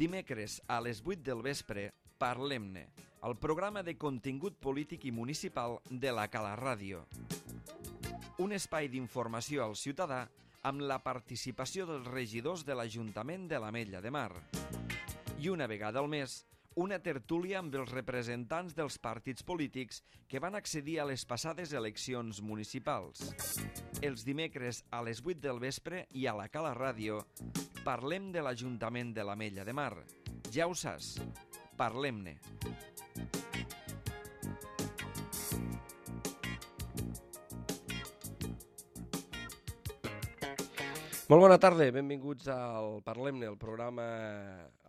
Dimecres a les 8 del vespre, Parlem-ne, el programa de contingut polític i municipal de la Cala Ràdio. Un espai d'informació al ciutadà amb la participació dels regidors de l'Ajuntament de l'Ametlla de Mar. I una vegada al mes, una tertúlia amb els representants dels partits polítics que van accedir a les passades eleccions municipals. Els dimecres a les 8 del vespre i a la Cala Ràdio parlem de l'Ajuntament de l'Ametlla de Mar. Ja ho saps, parlem-ne. Molt bona tarda, benvinguts al Parlem-ne, el programa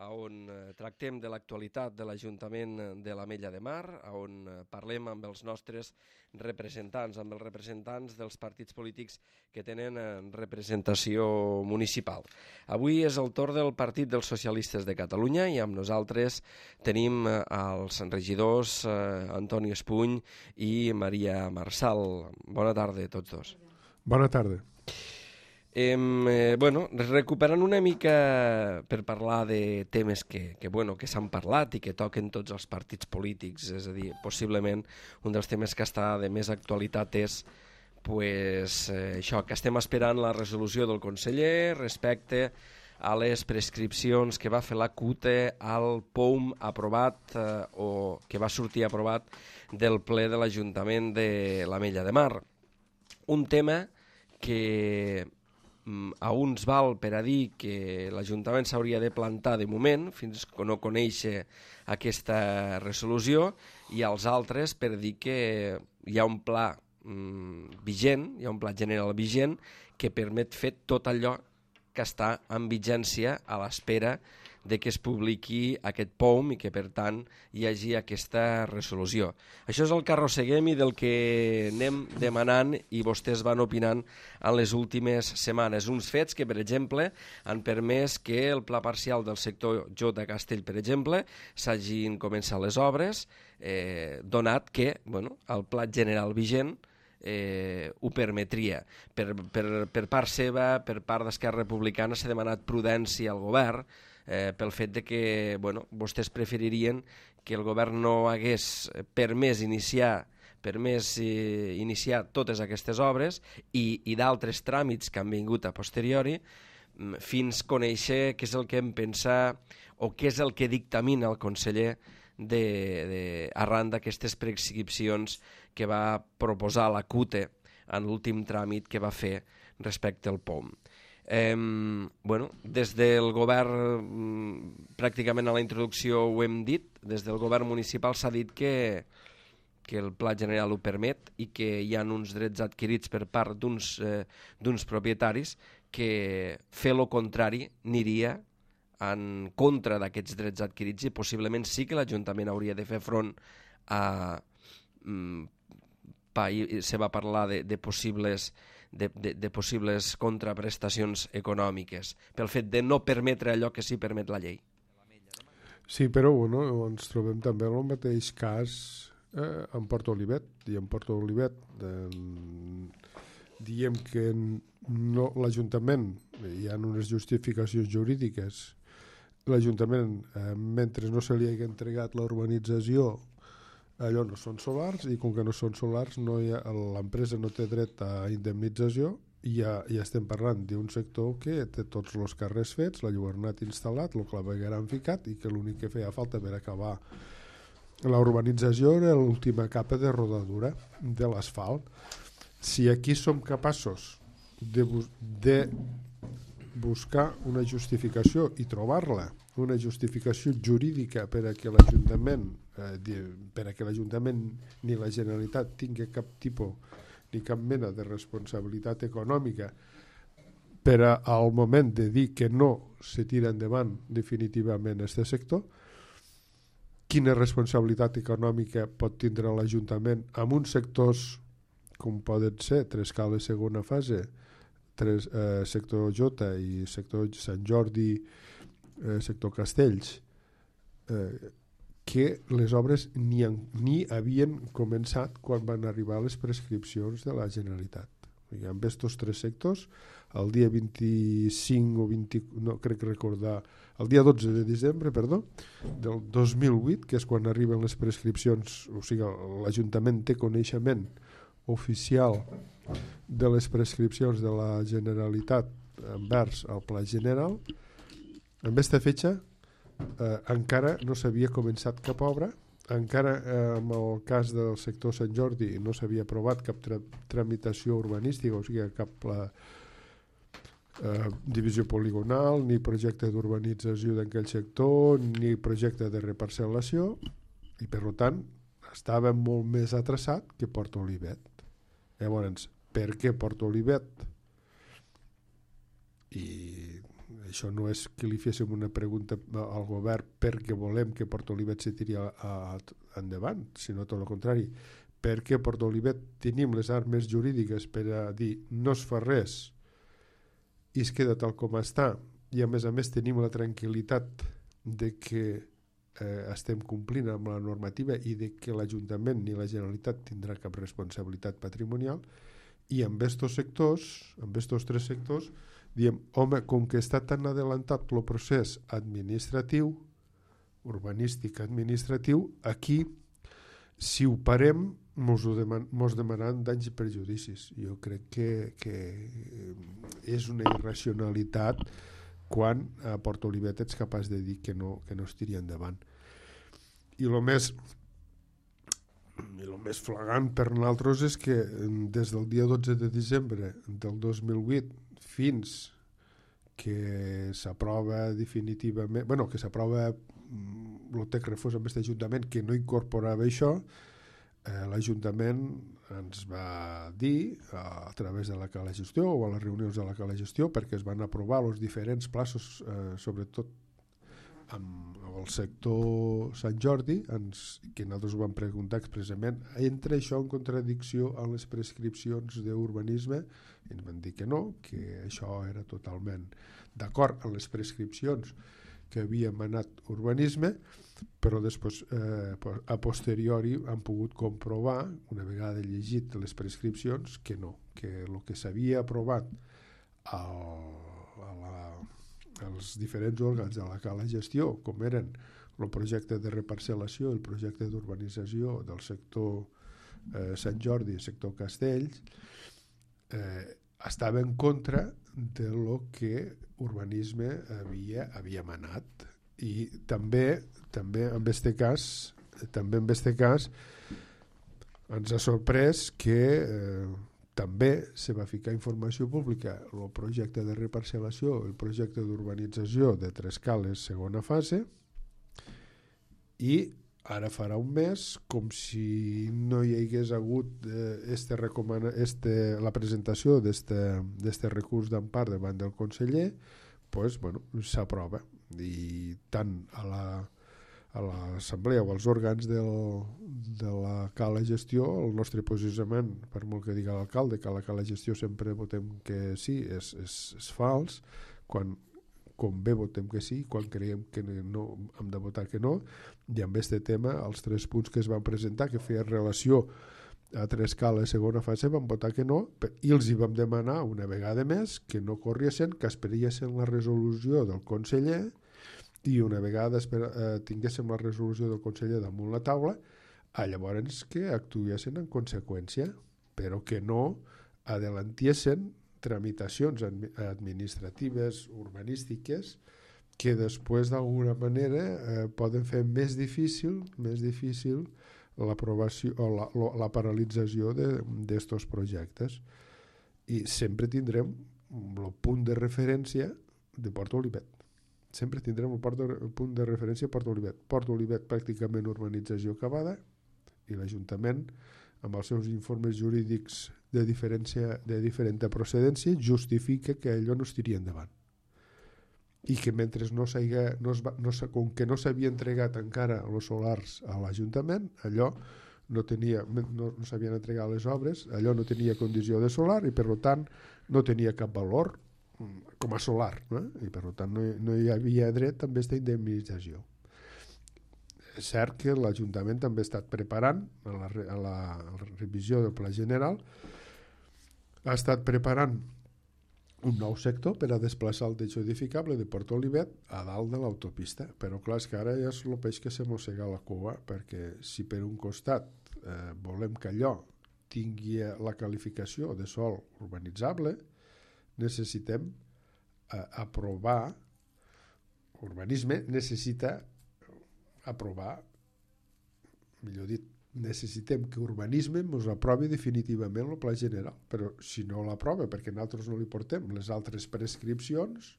on tractem de l'actualitat de l'Ajuntament de l'Ametlla de Mar, on parlem amb els nostres representants, amb els representants dels partits polítics que tenen representació municipal. Avui és el torn del Partit dels Socialistes de Catalunya i amb nosaltres tenim els regidors Antoni Espuny i Maria Marçal. Bona tarda a tots dos. Bona tarda. Recuperant una mica per parlar de temes que s'han parlat i que toquen tots els partits polítics, és a dir, possiblement un dels temes que està de més actualitat és això, que estem esperant la resolució del conseller respecte a les prescripcions que va fer la CUTE al POUM aprovat o que va sortir aprovat del ple de l'Ajuntament de l'Ametlla de Mar. Un tema que a uns val per a dir que l'Ajuntament s'hauria de plantar de moment fins que no coneixi aquesta resolució i als altres per dir que hi ha un pla vigent, hi ha un pla general vigent que permet fer tot allò que està en vigència a l'espera de que es publiqui aquest POUM i que, per tant, hi hagi aquesta resolució. Això és el que arrosseguem i del que anem demanant i vostès van opinant en les últimes setmanes. Uns fets que, per exemple, han permès que el pla parcial del sector Jota Castell, per exemple, s'hagin començat les obres, donat que el pla general vigent ho permetria. Per part seva, per part d'Esquerra Republicana, s'ha demanat prudència al govern pel fet de que vostès preferirien que el govern no hagués permès iniciar totes aquestes obres i d'altres tràmits que han vingut a posteriori fins conèixer què és el que em pensa o què és el que dictamina el conseller arran d'aquestes prescripcions que va proposar la CUTE en l'últim tràmit que va fer respecte al POUM. Des del govern, pràcticament a la introducció ho hem dit, des del govern municipal s'ha dit que el pla general ho permet i que hi ha uns drets adquirits per part d'uns propietaris que fer lo contrari aniria en contra d'aquests drets adquirits i possiblement sí que l'Ajuntament hauria de fer front a... se va parlar de possibles contraprestacions econòmiques pel fet de no permetre allò que sí permet la llei. Sí, però ens trobem també en el mateix cas en Port Olivet. I en Port Olivet diem que l'Ajuntament, hi ha unes justificacions jurídiques, l'Ajuntament, mentre no se li hagi entregat la urbanització, allò no són solars i com que no són solars l'empresa no té dret a indemnització i ja estem parlant d'un sector que té tots els carrers fets, la lluernat instal·lat, el clavegueram ficat i que l'únic que feia falta per acabar la urbanització era l'última capa de rodadura de l'asfalt. Si aquí som capaços de buscar una justificació i trobar-la, una justificació jurídica per a que l'Ajuntament ni la Generalitat tingui cap tipus ni cap mena de responsabilitat econòmica per al moment de dir que no se tira endavant definitivament aquest sector, quina responsabilitat econòmica pot tindre l'Ajuntament amb uns sectors com poden ser Trescales segona fase, sector Jota i sector Sant Jordi, sector Castells, que les obres ni havien començat quan van arribar les prescripcions de la Generalitat. I amb aquests 3 sectors, el dia 25 o 20, no crec recordar, el dia 12 de desembre, perdó, del 2008, que és quan arriben les prescripcions, o sigui, l'Ajuntament té coneixement oficial de les prescripcions de la Generalitat envers el Pla General. En aquesta fetge encara no s'havia començat cap obra, encara en el cas del sector Sant Jordi no s'havia aprovat cap tramitació urbanística, o sigui cap divisió poligonal, ni projecte d'urbanització d'aquell sector, ni projecte de reparcel·lació, i per tant estava molt més atrasat que Port Olivet. Llavors, per què Port Olivet? I això no és que li féssim una pregunta al govern perquè volem que Port Olivet se tiri endavant, sinó tot el contrari. Perquè a Port Olivet tenim les armes jurídiques per a dir no es fa res i es queda tal com està, i a més tenim la tranquil·litat de que estem complint amb la normativa i de que l'Ajuntament ni la Generalitat tindrà cap responsabilitat patrimonial. I amb estos sectors, amb estos 3 sectors, diem, home, com que està tan adelantat el procés administratiu, urbanístic administratiu, aquí, si ho parem, mos demanen danys i perjudicis. Jo crec que és una irracionalitat quan a Port Olivet ets capaç de dir que no es tiri endavant. I el més flagrant per nosaltres és que des del dia 12 de desembre del 2008 fins que s'aprova definitivament, que s'aprova el text refós amb aquest Ajuntament que no incorporava això, l'Ajuntament ens va dir a través de la Cala Gestió o a les reunions de la Cala Gestió, perquè es van aprovar els diferents plaços, sobretot amb el sector Sant Jordi, que nosaltres ho vam preguntar expressament, entra això en contradicció amb les prescripcions d'urbanisme, i ens van dir que no, que això era totalment d'acord amb les prescripcions que havia emanat urbanisme, però després a posteriori han pogut comprovar, una vegada llegit les prescripcions, que no, que el que s'havia aprovat als diferents òrgans de la Cala Gestió, com eren el projecte de reparcel·lació, el projecte d'urbanització del sector Sant Jordi, el sector Castells, estava en contra de lo que urbanisme havia emanat. I també en este cas ens ha sorprès que també se va ficar informació pública el projecte de reparcel·lació, el projecte d'urbanització de Tres Cales segona fase, i ara farà un mes, com si no hi hagués hagut la presentació d'este recurs d'empar davant del conseller, s'aprova. I tant a l'assemblea o als òrgans de la Cala Gestió, el nostre posicionament, per molt que diga l'alcalde que a la Cala Gestió sempre votem que sí, és fals. Com bé votem que sí, quan creiem que no hem de votar que no. I amb aquest tema, els 3 punts que es van presentar, que feien relació a Tres Cales segona fase, van votar que no, i els hi vam demanar una vegada més que no corriessin, que esperiessin la resolució del conseller, i una vegada tinguéssim la resolució del conseller damunt la taula, llavors que actuessin en conseqüència, però que no adelantiessin tramitacions administratives, urbanístiques, que després d'alguna manera poden fer més difícil l'aprovació o la paralització d'estos projectes. I sempre tindrem el punt de referència de Port Olivet. Sempre tindrem el punt de referència a Port Olivet. Port Olivet pràcticament urbanització acabada, i l'Ajuntament, amb els seus informes jurídics de diferent procedència, justifica que allò no es tiri endavant. I que mentre com que no s'havia entregat encara els solars a l'Ajuntament, allò no s'havien entregat les obres, allò no tenia condició de solar i per tant no tenia cap valor com a solar, i per tant no hi havia dret a aquesta indemnització. És cert que l'Ajuntament també ha estat preparant a la revisió del Pla General ha estat preparant un nou sector per a desplaçar el teixó edificable de Port Olivet a dalt de l'autopista, però clar, és que ara ja és el peix que se mossega la cua, perquè si per un costat volem que allò tingui la qualificació de sòl urbanitzable, necessitem aprovar, urbanisme necessita aprovar, millor dit, necessitem que urbanisme ens aprovi definitivament el pla general, però si no l'aprova perquè nosaltres no li portem les altres prescripcions,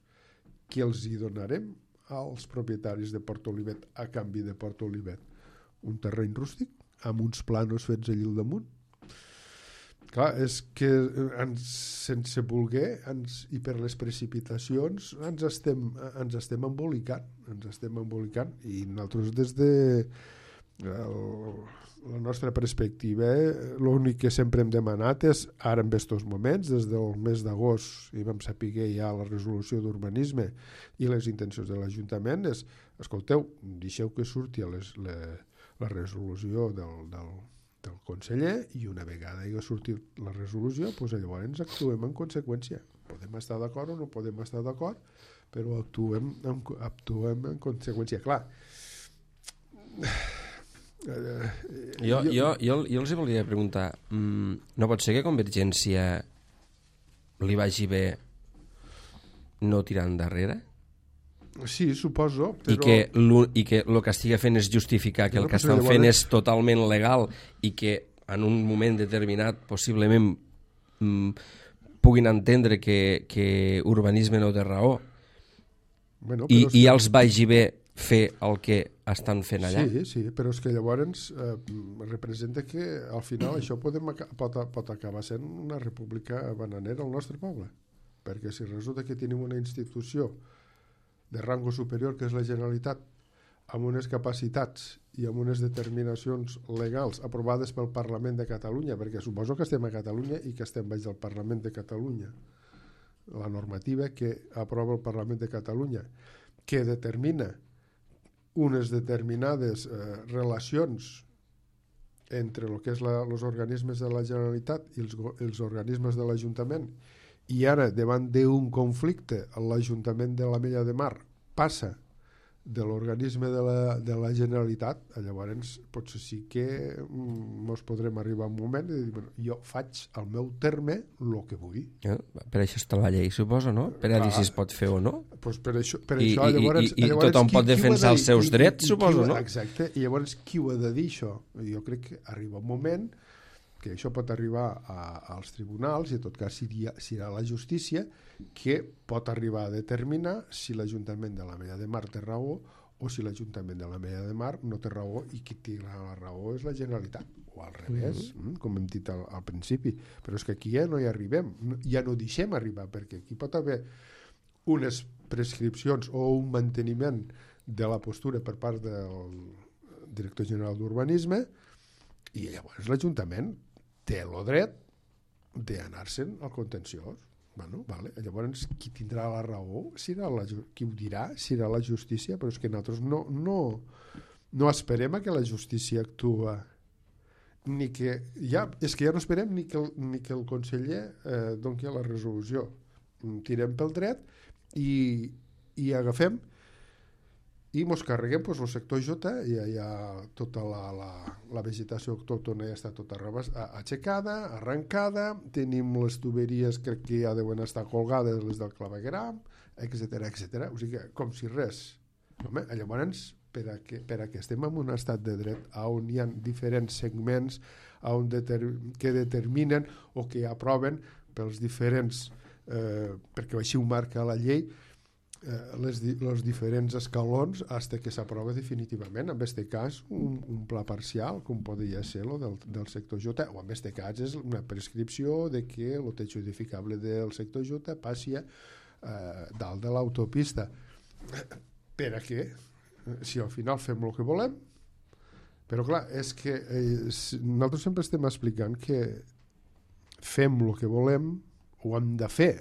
què els hi donarem als propietaris de Port Olivet a canvi de Port Olivet? Un terreny rústic amb uns planos fets allà al damunt? Clar, és que sense voler i per les precipitacions ens estem embolicant i nosaltres des de la nostra perspectiva, l'únic que sempre hem demanat és, ara en aquests moments, des del mes d'agost i vam saber ja la resolució d'urbanisme i les intencions de l'Ajuntament, és, escolteu, deixeu que surti la resolució del conseller i una vegada hi ha sortit la resolució, doncs llavors actuem en conseqüència. Podem estar d'acord o no podem estar d'acord, però actuem en conseqüència. Clar, jo els volia preguntar, no pot ser que Convergència li vagi bé no tirar endarrere? Sí, suposo, però... I que el que estigui fent és justificar que el que estan fent és totalment legal i que en un moment determinat possiblement puguin entendre que urbanisme no té raó, bueno, i els vagi bé fer el que estan fent allà. Sí, però és que llavors representa que al final això pot acabar sent una república bananera al nostre poble, perquè si resulta que tenim una institució de rango superior que és la Generalitat amb unes capacitats i amb unes determinacions legals aprovades pel Parlament de Catalunya, perquè suposo que estem a Catalunya i que estem baix del Parlament de Catalunya, la normativa que aprova el Parlament de Catalunya, que determina unes determinades relacions entre el que és els organismes de la Generalitat i els organismes de l'Ajuntament, i ara davant d'un conflicte l'Ajuntament de l'Ametlla de Mar passa de l'organisme de la Generalitat, llavors potser sí que ens podrem arribar a un moment i dir, bueno, jo faig al meu terme el que vull. Per això està la llei, suposo, no? Per a dir si es pot fer o no. Pues per això llavors, tothom pot defensar els seus drets, suposo, no? Exacte, i llavors qui ho ha de dir això? Jo crec que arriba un moment que això pot arribar als tribunals i en tot cas serà la justícia que pot arribar a determinar si l'Ajuntament de l'Ametlla de Mar té raó o si l'Ajuntament de l'Ametlla de Mar no té raó i qui té la raó és la Generalitat, o al revés, com hem dit al principi. Però és que aquí ja no hi arribem, ja no deixem arribar, perquè aquí pot haver unes prescripcions o un manteniment de la postura per part del director general d'Urbanisme i llavors l'Ajuntament té el dret d'anar-se'n al contenciós. Bueno, vale. Llavors qui tindrà la raó qui ho dirà serà la justícia, però és que nosaltres no esperem a que la justícia actua és que ja no esperem ni que el conseller doni la resolució. Tirem pel dret i agafem i ens carreguem el sector J, hi ha tota la vegetació autòctona ja està tota aixecada, arrencada, tenim les tuberies crec que ja deuen estar colgades, les del clavegueram, etc. O sigui, com si res. Home, llavors, per a que estem en un estat de dret on hi ha diferents segments que determinen o que aproven pels diferents, perquè així ho marca la llei, els diferents escalons fins que s'aprova definitivament. En aquest cas un pla parcial com podria ser el del sector J, o en aquest cas és una prescripció de que el techo edificable del sector J passi dalt de l'autopista. Per a què? Si al final fem el que volem. Però clar, és que nosaltres sempre estem explicant que fem el que volem o hem de fer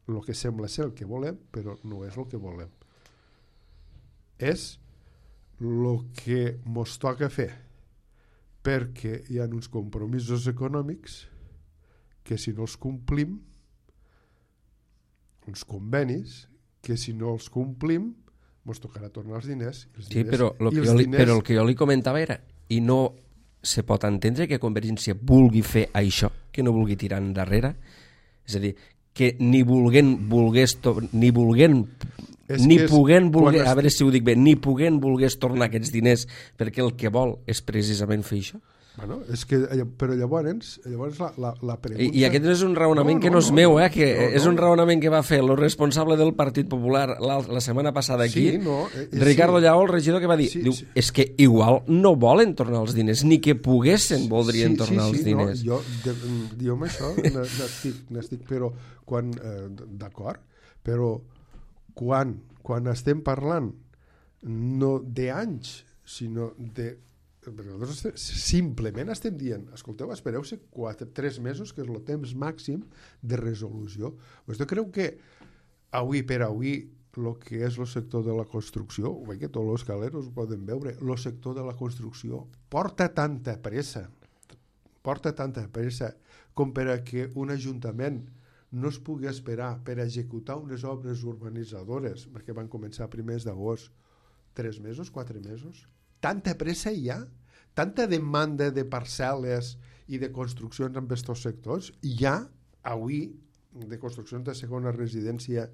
el que sembla ser el que volem, però no és el que volem. És el que ens toca fer, perquè hi ha uns compromisos econòmics que si no els complim, uns convenis que si no els complim ens tocarà tornar els diners. Sí, però el que jo li comentava era, i no se pot entendre que Convergència vulgui fer això, que no vulgui tirar endarrere, és a dir, que ni volgués tornar aquests diners perquè el que vol és precisament fer això. Bueno, però llavors la pregunta... I aquest és un raonament que no és meu, que és un raonament que va fer el responsable del Partit Popular la setmana passada aquí, Ricardo Lleó, el regidor, que va dir, és que igual no volen tornar els diners, ni que poguessin voldrien tornar els diners. Jo amb això n'estic, però d'acord, però quan estem parlant no d'anys, sinó de... Perquè nosaltres simplement estem dient, escolteu, espereu-se 3 mesos, que és el temps màxim de resolució. Vostè creu que avui per avui el que és el sector de la construcció, que tots els caleros ho poden veure, el sector de la construcció porta tanta pressa com per a que un ajuntament no es pugui esperar per executar unes obres urbanitzadores, perquè van començar a primers d'agost, 3 mesos, 4 mesos? Tanta pressa hi ha, tanta demanda de parcel·les i de construccions en aquests sectors. Hi ha avui de construccions de segona residència,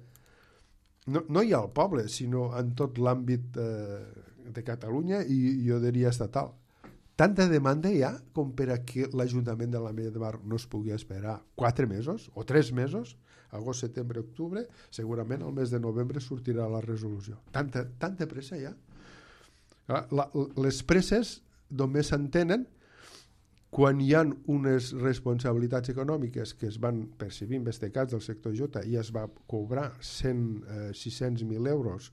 no hi ha al poble, sinó en tot l'àmbit de Catalunya i jo diria estatal. Tanta demanda hi ha com per a que l'Ajuntament de l'Ametlla de Mar no es pugui esperar 4 mesos o 3 mesos, agost, setembre, octubre, segurament al mes de novembre sortirà la resolució. Tanta pressa hi ha. Les presses només s'entenen quan hi ha unes responsabilitats econòmiques que es van percibir en aquest cas del sector J i es va cobrar 600.000 euros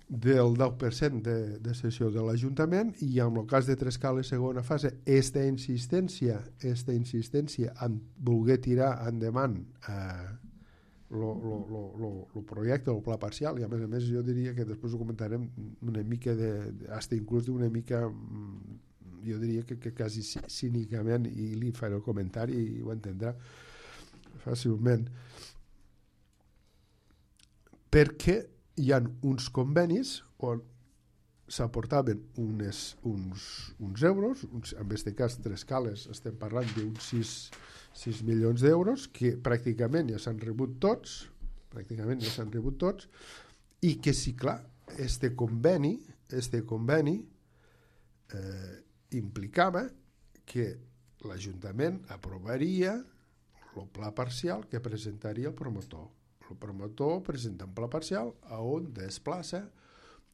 del 10% de cessió de l'Ajuntament, i en el cas de Trescales segona fase, esta insistència en voler tirar endavant el projecte, el pla parcial, i a més jo diria que després ho comentarem una mica hasta inclús d'una mica, jo diria que quasi cínicament, i li faré el comentari i ho entendrà fàcilment, perquè hi ha uns convenis on s'aportaven uns euros, en aquest cas Trescales estem parlant d'uns 6 milions d'euros que pràcticament ja s'han rebut tots, i que sí, clar, este conveni implicava que l'Ajuntament aprovaria el pla parcial que presentaria el promotor. El promotor presenta un pla parcial on desplaça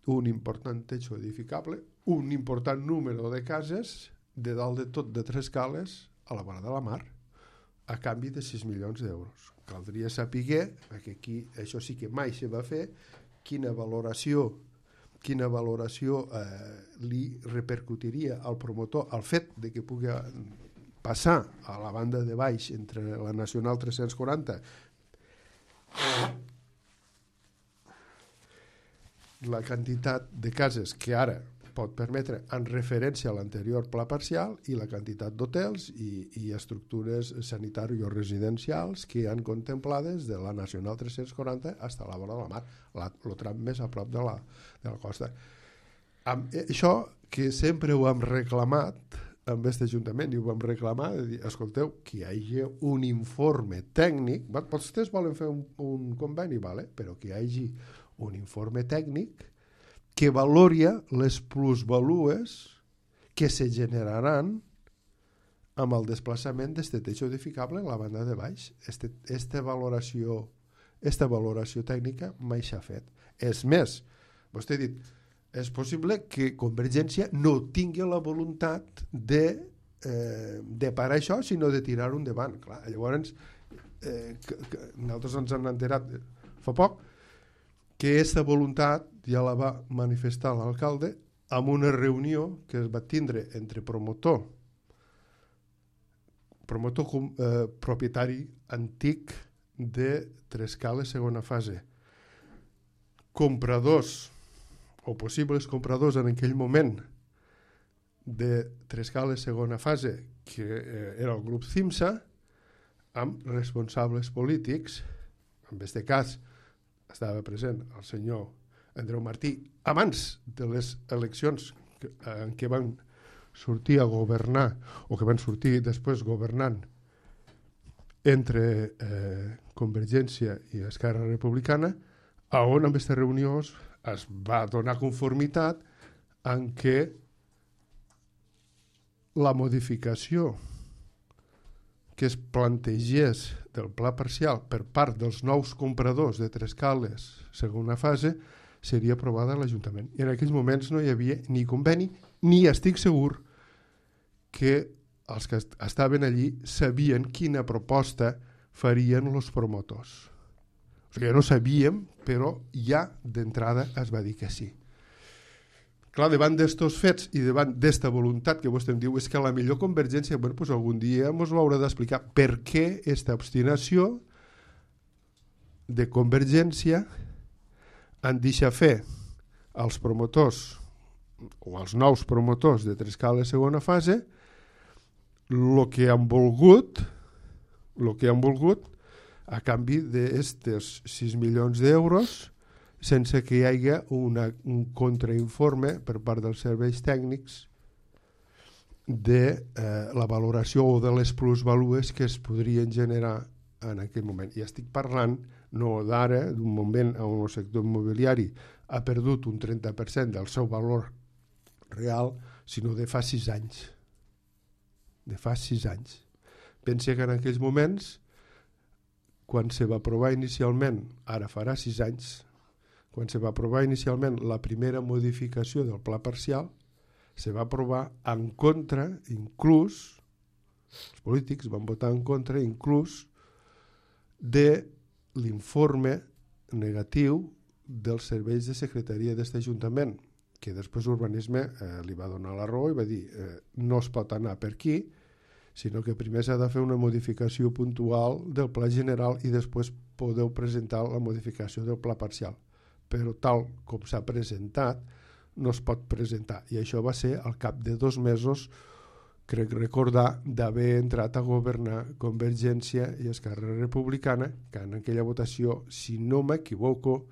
un important techo edificable, un important número de cases de dalt de tot de Trescales a la vora de la mar, a canvi de 6 milions d'euros. Caldria saber, perquè aquí això sí que mai se va fer, quina valoració li repercutiria al promotor el fet de que pugui passar a la banda de baix entre la Nacional 340 la quantitat de cases que ara pot permetre en referència a l'anterior pla parcial i la quantitat d'hotels i estructures sanitàries o residencials que han contemplades de la Nacional 340 fins a la vora de la mar, el tram més a prop de la costa. Això que sempre ho hem reclamat amb aquest Ajuntament, i ho vam reclamar, de dir, escolteu, que hi hagi un informe tècnic, vostès volen fer un conveni, vale? Però que hi hagi un informe tècnic que valoria les plusvalues que se generaran amb el desplaçament d'aquest techo edificable en la banda de baix. Esta valoració tècnica mai s'ha fet. És més, vostè ha dit, és possible que Convergència no tingui la voluntat de parar això, sinó de tirar-ho endavant. Clar, llavors, nosaltres ens hem enterat fa poc que aquesta voluntat ja la va manifestar l'alcalde en una reunió que es va tindre entre promotor propietari antic de Trescales segona fase, compradors o possibles compradors en aquell moment de Trescales segona fase, que era el grup CIMSA, amb responsables polítics. En aquest cas estava present el senyor Andreu Martí abans de les eleccions en què van sortir a governar, o que van sortir després governant entre Convergència i Esquerra Republicana, on en aquestes reunions es va donar conformitat en què la modificació que es plantegés del pla parcial per part dels nous compradors de Trescales segona fase seria aprovada a l'Ajuntament. I en aquells moments no hi havia ni conveni, ni estic segur que els que estaven allí sabien quina proposta farien els promotors. O sigui, no sabíem, però ja d'entrada es va dir que sí. Clar, davant d'estos fets i davant d'esta voluntat que vostè em diu és que la millor Convergència, bueno, pues algun dia ens ho haurà d'explicar per què aquesta obstinació de Convergència en deixar fer als promotors o als nous promotors de Trescales segona fase el que han volgut a canvi d'estes 6 milions d'euros sense que hi hagi un contrainforme per part dels serveis tècnics de la valoració o de les plusvalues que es podrien generar en aquell moment. I estic parlant no d'ara, d'un moment on el sector immobiliari ha perdut un 30% del seu valor real, sinó de fa 6 anys. De fa 6 anys. Pensa que en aquells moments, quan se va aprovar inicialment, ara farà 6 anys, quan se va aprovar inicialment la primera modificació del pla parcial, se va aprovar en contra, inclús, els polítics van votar en contra, inclús, de l'informe negatiu dels serveis de secretaria d'aquest Ajuntament, que després Urbanisme li va donar la raó i va dir no es pot anar per aquí, sinó que primer s'ha de fer una modificació puntual del pla general i després podeu presentar la modificació del pla parcial. Però tal com s'ha presentat, no es pot presentar. I això va ser al cap de 2 mesos, crec recordar, d'haver entrat a governar Convergència i Esquerra Republicana, que en aquella votació, si no m'equivoco,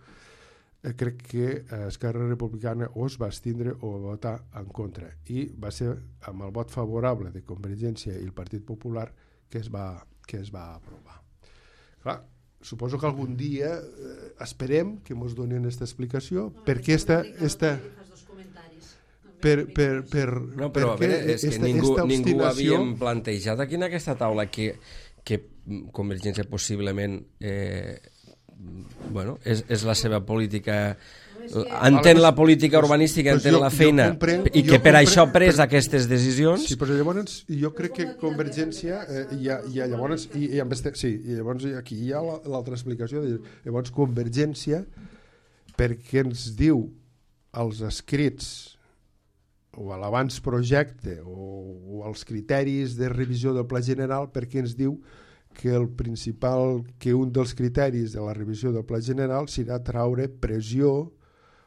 crec que Esquerra Republicana o es va abstindre o va votar en contra. I va ser amb el vot favorable de Convergència i el Partit Popular que es va aprovar. Clar, suposo que algun dia esperem que ens donin aquesta explicació, perquè no, però a veure, és que ningú havíem plantejat aquí en aquesta taula que Convergència possiblement és la seva política, entén la política urbanística, entén la feina i que per això ha pres aquestes decisions. Sí, però llavors jo crec que Convergència llavors aquí hi ha l'altra explicació. Llavors Convergència, perquè ens diu als escrits o a l'abans projecte o als criteris de revisió del Pla General, perquè ens diu que un dels criteris de la revisió del Pla General serà traure pressió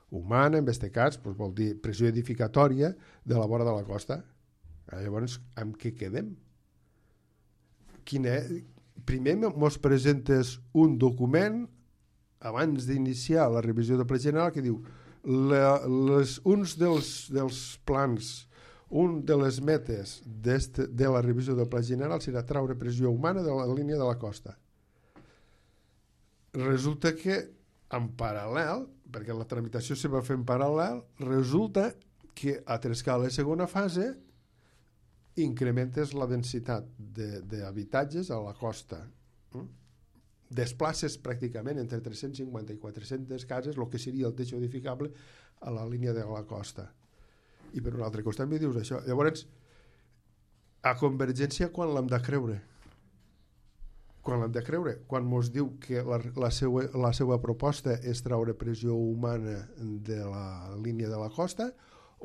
humana, en aquest cas vol dir pressió edificatòria de la vora de la costa. Llavors, amb què quedem? Primer mos presentes un document abans d'iniciar la revisió del Pla General que diu uns dels plans, un de les metes de la revisió del Pla General serà traure pressió humana de la línia de la costa. Resulta que en paral·lel, perquè la tramitació se va fer en paral·lel, resulta que a Trescales segona fase incrementes la densitat d'habitatges a la costa. Desplaces pràcticament entre 350 i 400 cases el que seria el teixo edificable a la línia de la costa. I per un altre costat em dius això. Llavors, a Convergència quan l'hem de creure? Quan l'hem de creure? Quan ens diu que la seva proposta és traure pressió humana de la línia de la costa,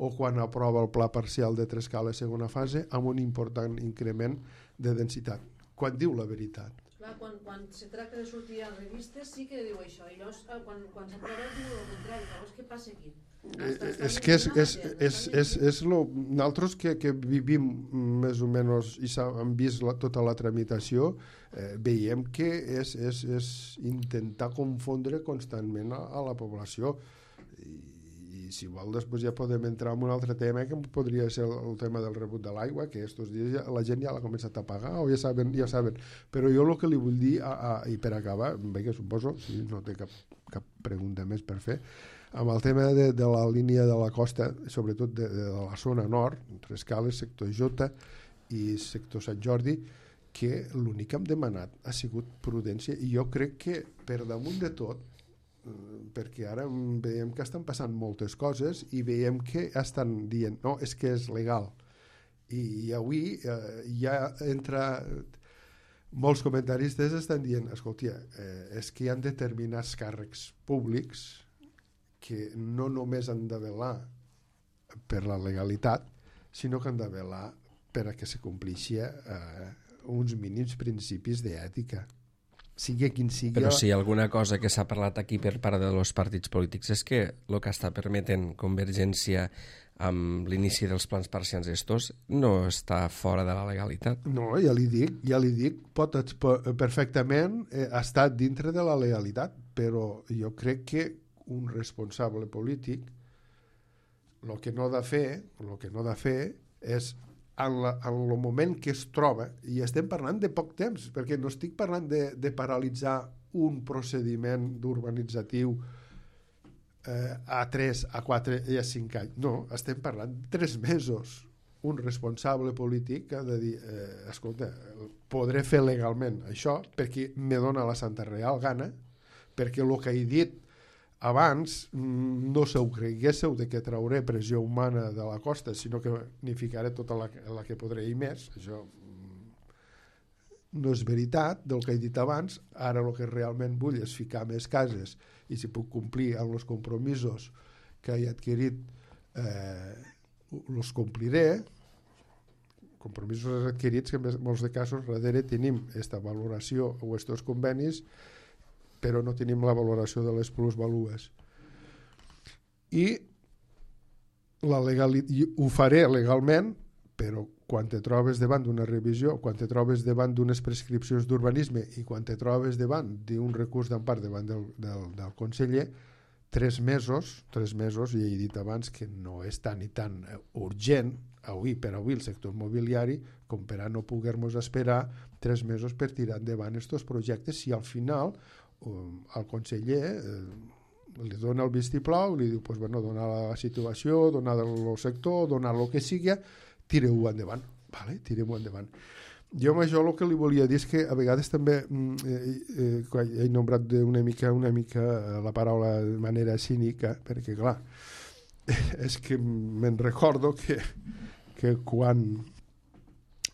o quan aprova el pla parcial de Trescales segona fase amb un important increment de densitat? Quan diu la veritat? Clar, quan se tracta de sortir a revistes sí que diu això, i llavors quan s'aprova diu el contrari. Llavors què passa aquí? És que és nosaltres que vivim més o menys i hem vist tota la tramitació, veiem que és intentar confondre constantment a la població. I si vol després ja podem entrar en un altre tema, que podria ser el tema del rebut de l'aigua, que estos dies la gent ja l'ha començat a pagar o ja saben. Però jo el que li vull dir, i per acabar, que suposo, si no té cap pregunta més per fer, amb el tema de la línia de la costa, sobretot de la zona nord, entre Escales, sector Jota i sector Sant Jordi, que l'únic que hem demanat ha sigut prudència, i jo crec que per damunt de tot, perquè ara veiem que estan passant moltes coses i veiem que estan dient no, és que és legal, i avui ja entra molts comentaristes estan dient, escolta, és que hi ha determinats càrrecs públics que no només han de velar per la legalitat, sinó que han de velar per a que se complixi uns mínims principis d'ètica, sigui quin sigui. Però si alguna cosa que s'ha parlat aquí per part dels partits polítics és que el que està permetent Convergència amb l'inici dels plans parcials estos no està fora de la legalitat. No, ja li dic, pot perfectament estar dintre de la legalitat, però jo crec que un responsable polític el que no ha de fer és en el moment que es troba, i estem parlant de poc temps, perquè no estic parlant de paralitzar un procediment d'urbanitzatiu a 3, a 4 i a 5 anys. No, estem parlant de 3 mesos. Un responsable polític ha de dir, escolta, podré fer legalment això perquè me dona la santa real gana, perquè el que he dit abans no se ho creguéssiu de que trauré pressió humana de la costa, sinó que n'hi ficaré tota la que podré i més. Això no és veritat del que he dit abans. Ara el que realment vull és ficar més cases, i si puc complir amb els compromisos que he adquirit els compliré. Compromisos adquirits que en molts de casos darrere tenim aquesta valoració o estos convenis, però no tenim la valoració de les plusvalues. I ho faré legalment, però quan te trobes davant d'una revisió, quan te trobes davant d'unes prescripcions d'urbanisme i quan te trobes davant d'un recurs d'empart davant del conseller, 3 mesos, i he dit abans que no és tan i tan urgent per avui el sector immobiliari com per a no poder-nos esperar 3 mesos per tirar endavant aquests projectes, si al final el conseller li dona el vistiplau, li diu donar la situació, donar el sector, donar el que sigui, tireu-ho endavant. Vale? Tirem-ho endavant. Jo amb això el que li volia dir és que a vegades també he nombrat una mica la paraula de manera cínica, perquè clar, és que me'n recordo que quan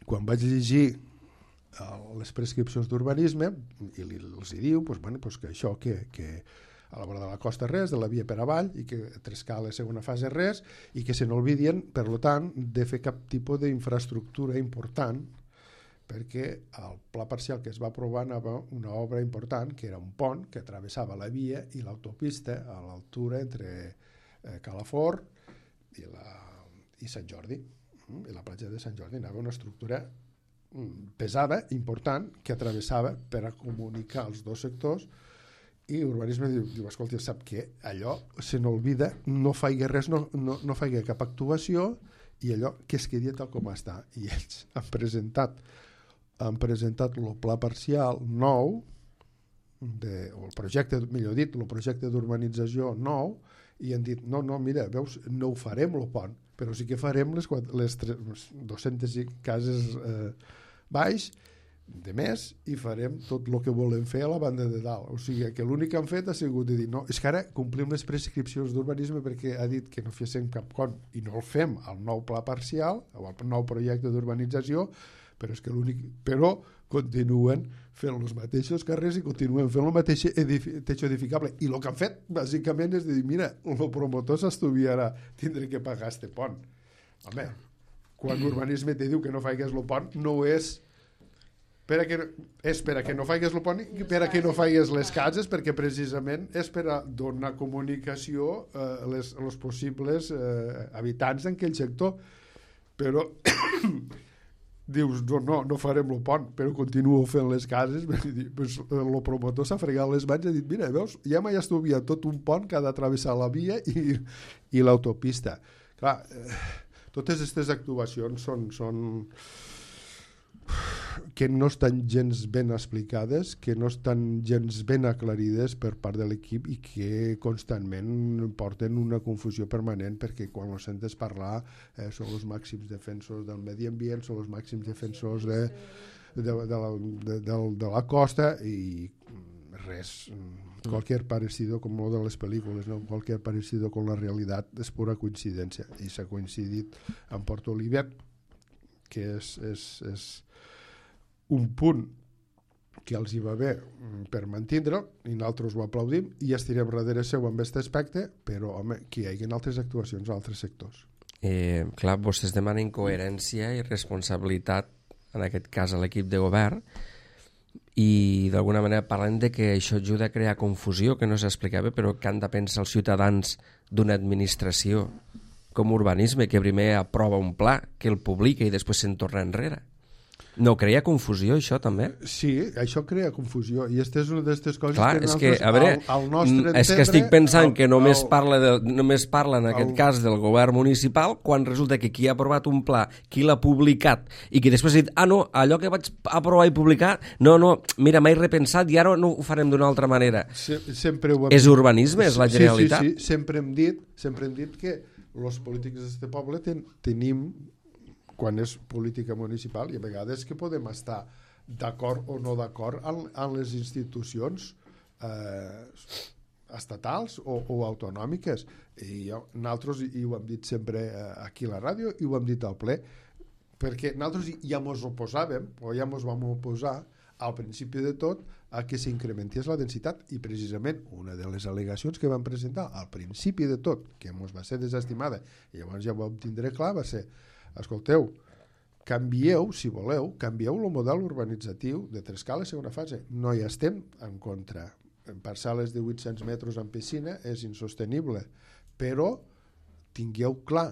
vaig llegir les prescripcions d'urbanisme i els diu que això, que a la vora de la costa res, de la via per avall, i que Trescales segona fase res, i que se n'olvidien, per tant, de fer cap tipus d'infraestructura important, perquè el pla parcial que es va aprovar anava una obra important, que era un pont que travessava la via i l'autopista a l'altura entre Calafort i Sant Jordi, i la platja de Sant Jordi. Anava una estructura pesada, important, que travessava per a comunicar els dos sectors, i urbanisme diu escolta, sap què? Allò se n'olvida, no faig res, no faig cap actuació, i allò que es quedi tal com està. I ells han presentat el pla parcial nou, o el projecte, millor dit, el projecte d'urbanització nou, i han dit, no, mira, veus, no ho farem el pont, però sí que farem les 200 cases baix de més, i farem tot el que volem fer a la banda de dalt. O sigui que l'únic que han fet ha sigut de dir, no, és que ara complim les prescripcions d'urbanisme perquè ha dit que no féssim cap con, i no el fem al nou pla parcial o al nou projecte d'urbanització, però continuen fent els mateixos carrers i continuen fent el mateix techo edificable. I el que han fet, bàsicament, és dir, mira, el promotor s'estuviarà tindre que pagar este pont. Home, quan l'urbanisme te diu que no faigues el pont, no és és per a que no faigues el pont i per a que no faigues les cases, perquè precisament és per a donar comunicació a els possibles habitants d'aquell sector. Però dius, no farem el pont, però continuo fent les cases. El promotor s'ha fregat les mans i ha dit, mira, veus, ja m'ha estudiat tot un pont que ha de travessar la via i l'autopista. Clar, totes aquestes actuacions són que no estan gens ben explicades, que no estan gens ben aclarides per part de l'equip i que constantment porten una confusió permanent, perquè quan els sentes parlar són els màxims defensors del medi ambient, són els màxims defensors de la costa i res, cualquier parecido com lo de les pel·lícules, no? Cualquier parecido con la realitat és pura coincidència, i s'ha coincidit en Port Olivet, que és un punt que els hi va bé per mantindre'l, i nosaltres ho aplaudim i estirem darrere seu amb aquest aspecte, però home, que hi hagi altres actuacions a altres sectors. Clar, vostès demanen coherència i responsabilitat, en aquest cas a l'equip de govern, i d'alguna manera parlen de que això ajuda a crear confusió, que no s'explicava, però que han de pensar els ciutadans d'una administració com urbanisme, que primer aprova un pla, que el publica i després se'n torna enrere. No crea confusió, això, també? Sí, això crea confusió, i aquesta és una d'aquestes coses. Clar, és que, a veure, és que estic pensant que només parla en aquest cas del govern municipal, quan resulta que qui ha aprovat un pla, qui l'ha publicat, i que després ha dit, no, allò que vaig aprovar i publicar, no, mira, m'he repensat i ara no ho farem d'una altra manera. És urbanisme, és la generalitat? Sí, sempre hem dit que els polítics d'aquest poble tenim, quan és política municipal, i a vegades que podem estar d'acord o no d'acord en les institucions estatals o autonòmiques. I nosaltres, i ho hem dit sempre aquí a la ràdio, i ho hem dit al ple, perquè nosaltres ja ens oposàvem, o ja ens vam oposar al principi de tot a que s'incrementés la densitat, i precisament una de les al·legacions que vam presentar al principi de tot, que ens va ser desestimada, i llavors ja ho vam tindre clar, va ser: escolteu, canvieu, si voleu, canvieu el model urbanitzatiu de Trescala segona fase. No hi estem en contra. En parcel·les de 800 metres en piscina és insostenible, però tingueu clar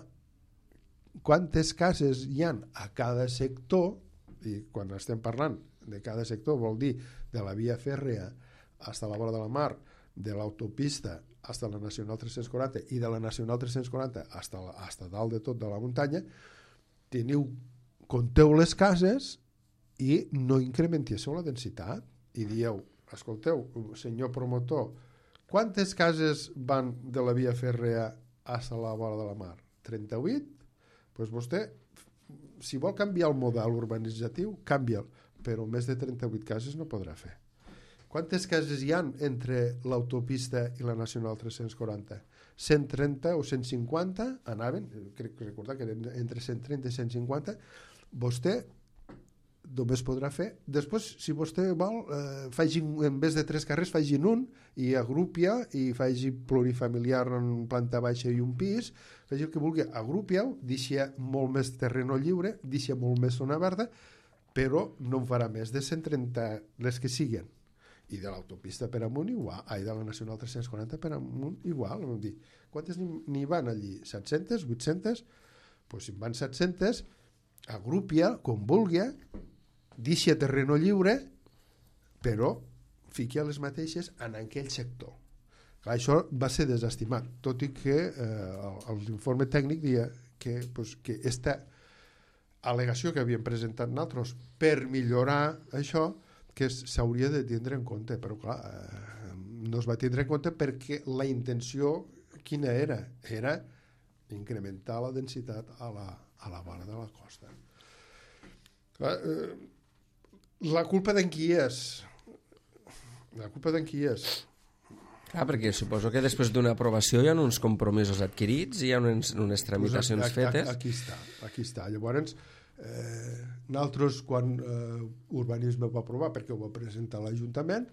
quantes cases hi ha a cada sector, i quan estem parlant de cada sector vol dir de la via fèrrea fins a la vora de la mar, de l'autopista fins a la Nacional 340 i de la Nacional 340 fins a dalt de tot de la muntanya. Compteu les cases i no incrementéssiu la densitat i dieu, escolteu, senyor promotor, quantes cases van de la via fèrrea a la vora de la mar? 38? Doncs vostè, si vol canviar el model urbanitzatiu, canvia'l, però més de 38 cases no podrà fer. Quantes cases hi ha entre l'autopista i la Nacional 340? 130 o 150 anaven, crec que recordar que entre 130 i 150, vostè només podrà fer. Després, si vostè vol, en vez de 3 carrers, facin un i agrupia i faci plurifamiliar en planta baixa i un pis, faci el que vulgui, agrupiau, deixa molt més terreno lliure, deixa molt més zona verda, però no en farà més de 130 les que siguen. I de l'autopista per amunt igual, de la Nacional 340 per amunt igual. Quantes n'hi van allí? 700? 800? Doncs si en van 700, agrupia com vulgui, deixa terreno lliure, però fiqui a les mateixes en aquell sector. Clar, això va ser desestimat, tot i que l'informe tècnic deia que aquesta al·legació que havíem presentat nosaltres per millorar això, que s'hauria de tindre en compte, però clar, no es va tindre en compte perquè la intenció quina era? Era incrementar la densitat a la vora de la costa. Clar, la culpa d'en qui és? La culpa d'en qui és? Clar, perquè suposo que després d'una aprovació hi ha uns compromisos adquirits, hi ha unes tramitacions fetes. Aquí està. Llavors, nosaltres quan urbanisme va aprovar, perquè ho va presentar l'Ajuntament,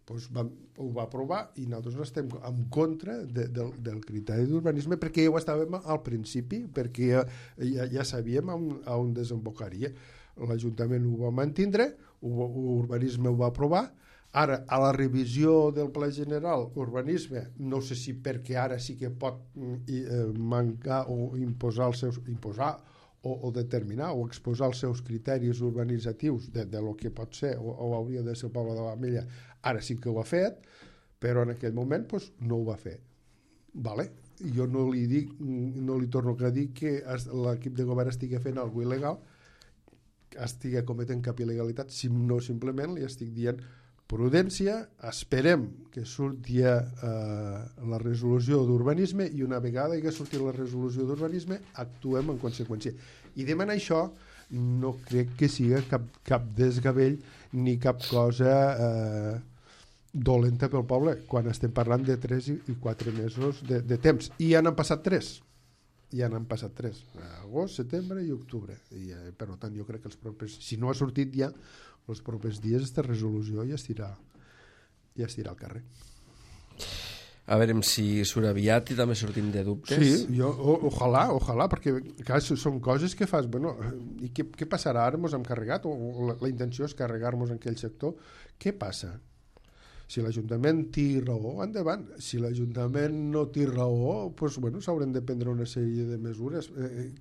doncs ho va aprovar i nosaltres no estem en contra del criteri d'urbanisme, perquè ja ho estàvem al principi, perquè ja sabíem on desembocaria. L'Ajuntament ho va mantindre, Urbanisme ho va aprovar. Ara, a la revisió del Pla General, urbanisme, no sé si perquè ara sí que pot mancar o imposar o determinar o exposar els seus criteris urbanitzatius de lo que pot ser o hauria de ser el poble de l'Ametlla, ara sí que ho ha fet, però en aquell moment pues, no ho va fer. Vale? Jo no li torno a dir que l'equip de govern estigui fent alguna il·legal, estigui cometent cap il·legalitat, no simplement li estic dient prudència, esperem que surti la resolució d'urbanisme i una vegada que surti la resolució d'urbanisme actuem en conseqüència. I demanar això no crec que sigui cap desgavell ni cap cosa dolenta pel poble quan estem parlant de 3 i 4 mesos de temps. I ja n'han passat 3. Agost, setembre i octubre. I, per tant, jo crec que els propers... Si no ha sortit ja, els propers dies aquesta resolució ja estirà al carrer. A veure si surt aviat i també sortim de dubtes. Sí, ojalà, perquè clar, són coses que fas... Bueno, i què passarà? Ara ens hem carregat, o la intenció és carregar-nos en aquell sector. Què passa? Si l'Ajuntament té raó, endavant. Si l'Ajuntament no té raó, doncs, bueno, s'hauran de prendre una sèrie de mesures.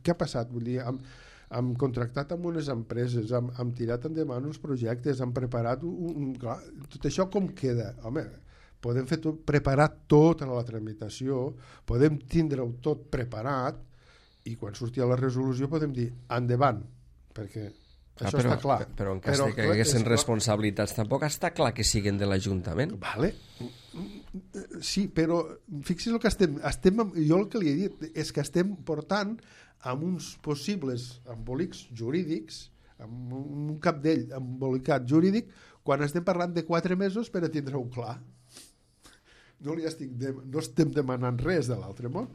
Què ha passat? Vull dir, hem contractat amb unes empreses, hem tirat endavant uns projectes, hem preparat clar, tot això com queda? Home, podem preparar tota la tramitació, podem tindre-ho tot preparat i quan surti la resolució podem dir endavant, perquè això està clar. Però en cas que haguessin responsabilitats tampoc està clar que siguin de l'Ajuntament. Vale. Sí, però fixi's el que estem jo el que li he dit és que estem portant amb uns possibles embolics jurídics, amb un capdell embolicat jurídic, quan estem parlant de 4 mesos per a tindre-ho clar. No estem demanant res de l'altre món.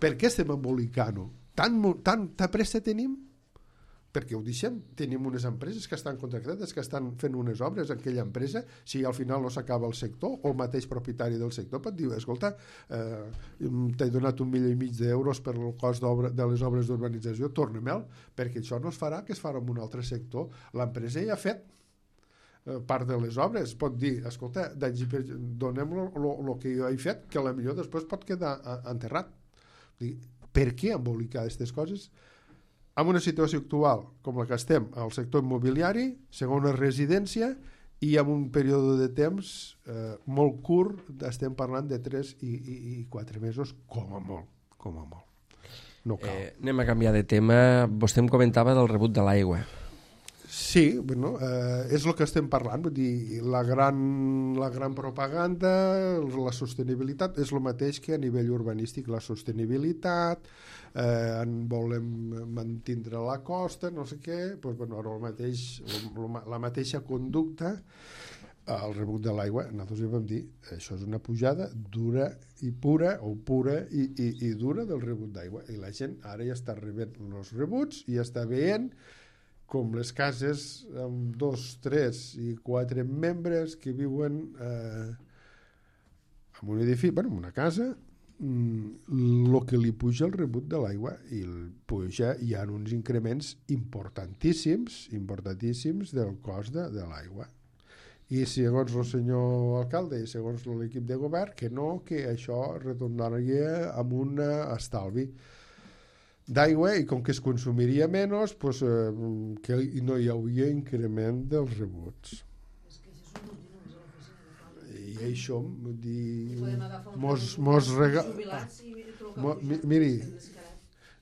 Per què estem embolicant-ho? Tanta pressa tenim? Perquè ho deixem. Tenim unes empreses que estan contractades, que estan fent unes obres en aquella empresa, si al final no s'acaba el sector, o el mateix propietari del sector pot dir, escolta, t'he donat 1,5 milió d'euros per el cost de les obres d'urbanització, torna-me'l, perquè això no es farà, que es farà en un altre sector. L'empresa ja ha fet part de les obres, pot dir, escolta, donem el que jo he fet, que potser després pot quedar enterrat. Per què embolicar aquestes coses? En una situació actual com la que estem al sector immobiliari, segona residència, i en un període de temps molt curt, estem parlant de 3 i 4 mesos com a molt. No cal. Anem a canviar de tema. Vostè em comentava del rebut de l'aigua. Sí, bueno, és el que estem parlant, vull dir, la gran propaganda, la sostenibilitat, és el mateix que a nivell urbanístic, la sostenibilitat, volem mantindre la costa, no sé què, doncs, bueno, ara la mateixa conducta, el rebut de l'aigua, nosaltres ja vam dir, això és una pujada dura i pura, o pura i dura del rebut d'aigua, i la gent ara ja està rebent els rebuts i ja està veient com les cases amb 2, 3 i 4 membres que viuen en un edifici, bueno, en una casa, el que li puja el rebut de l'aigua i hi ha uns increments importantíssims del cost de l'aigua. I segons el senyor alcalde i segons l'equip de govern, que això retornaria amb un estalvi d'aigua i com que es consumiria menys, pues, que no hi hauria increment dels rebuts. És que això és un continu, és a l'oficina. I això, vull dir... Podem agafar jubilats i trucar.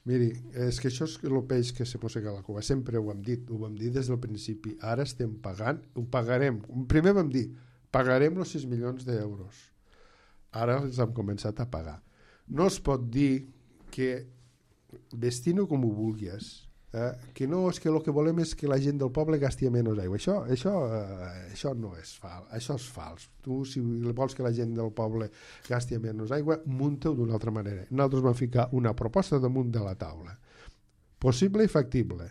Miri, és que això és el peix que se mossega la cua. Sempre ho hem dit des del principi. Ara estem pagant, ho pagarem. Primer vam dir, pagarem els 6 milions d'euros. Ara els hem començat a pagar. No es pot dir que vestint-ho com ho vulguis, que no, és que el que volem és que la gent del poble gasti menys aigua. Això no és fals, això és fals. Tu, si vols que la gent del poble gasti menys aigua, munta-ho d'una altra manera. Nosaltres vam ficar una proposta damunt de la taula. Possible i factible.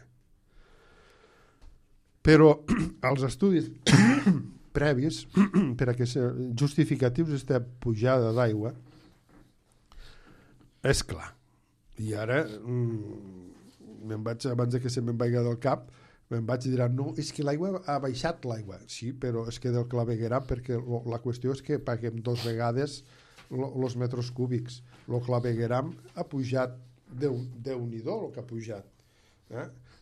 Però els estudis previs per a que justificatius aquesta pujada d'aigua és clar. I ara abans que se me'n vagi del cap, Em vaig dir, no, és que l'aigua ha baixat l'aigua. Sí, però és que del clavegueram, perquè la qüestió és que paguem 2 vegades els metres cúbics. El clavegueram ha pujat, Déu-n'hi-do el que ha pujat.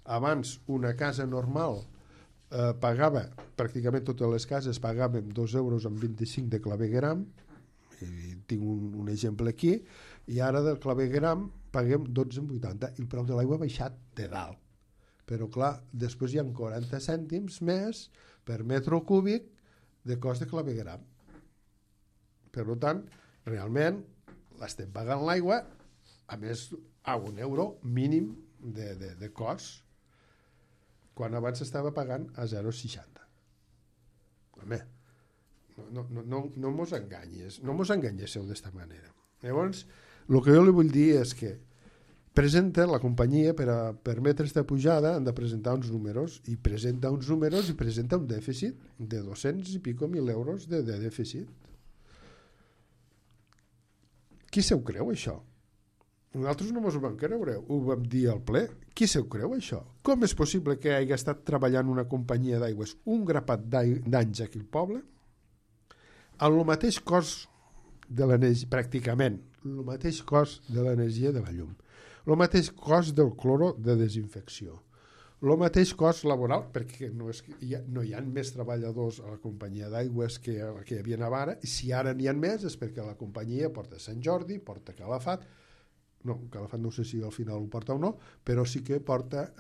Abans, una casa normal pagava, pràcticament totes les cases pagàvem 2 euros amb 25 de clavegueram, i tinc un exemple aquí, i ara del clavegueram paguem 12,80 i el preu de l'aigua ha baixat de dalt. Però clar, després hi ha 40 cèntims més per metre cúbic de cost de clavegueram. Per tant, realment l'estem pagant l'aigua, a més a 1 euro mínim de cost, quan abans estava pagant a 0,60. Home, no mos enganyes, no mos enganyéssiu d'esta manera. Llavors, el que jo li vull dir és que presenta la companyia, per a permetre aquesta pujada, han de presentar uns números, i presenta uns números i presenta un dèficit de 200 i pico mil euros de dèficit. Qui se ho creu, això? Nosaltres no ens ho vam creure, ho vam dir al ple. Qui se ho creu, això? Com és possible que hagi estat treballant una companyia d'aigües un grapat d'anys aquí al poble, amb el mateix cost de l'energia, pràcticament, el mateix cost de l'energia de la llum, el mateix cost del cloro de desinfecció, el mateix cost laboral, perquè no hi ha més treballadors a la companyia d'aigües que hi havia ara, i si ara n'hi ha més és perquè la companyia porta Sant Jordi, porta Calafat, no, Calafat no sé si al final ho porta o no, però sí que porta